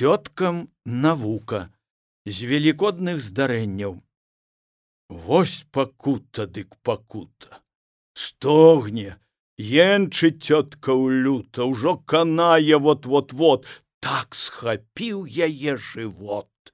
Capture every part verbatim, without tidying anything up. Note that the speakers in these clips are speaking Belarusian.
Цёткам навука з велікодных здарэнняў. Вось пакута дык пакута. Стогне, енчыць цётка ў люта, ўжо канае вот-вот-вот. Так схапіў яе жывот.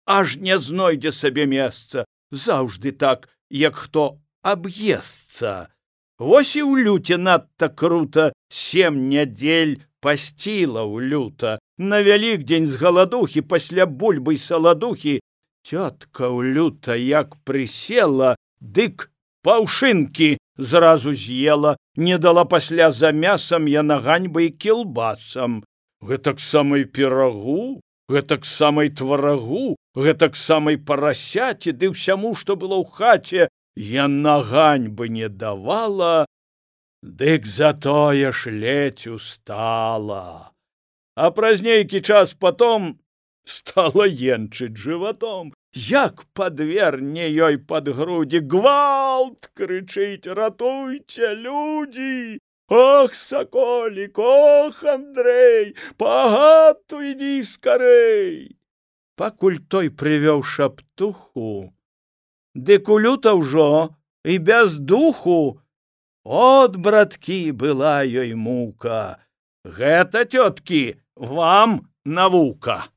Аж не знойдзе сабе месца, заўжды так, як хто аб'есца. Вось і ў люце надта крута, сем нядзель пасціла ў люта. На Вялікдзень з галадухі, пасля бульбы і саладухі, цётка ў люта як прысела, дык паўшынкі зразу з'ела, не дала пасля за мясам яна ганьбай кілбасам. Гэтак самай пірагу, гэтак самай тварагу, гэтак самай парасяці, ды ўсяму, што было ў хаце, яна ганьбы не давала, дык затое ж ледзь устала. А праз нейкі час потом стала енчыць жыватом, як падверне ёй пад грудзі. Гвалт крычыць: ратуйце, людзі! Ох, саколік, ох, Андрэй, па хату ідзі скарэй! Пакуль той прывёў шаптуху, дык у люта ўжо і без духу. От, браткі, была ёй мука. Гэта, цёткі, вам навука.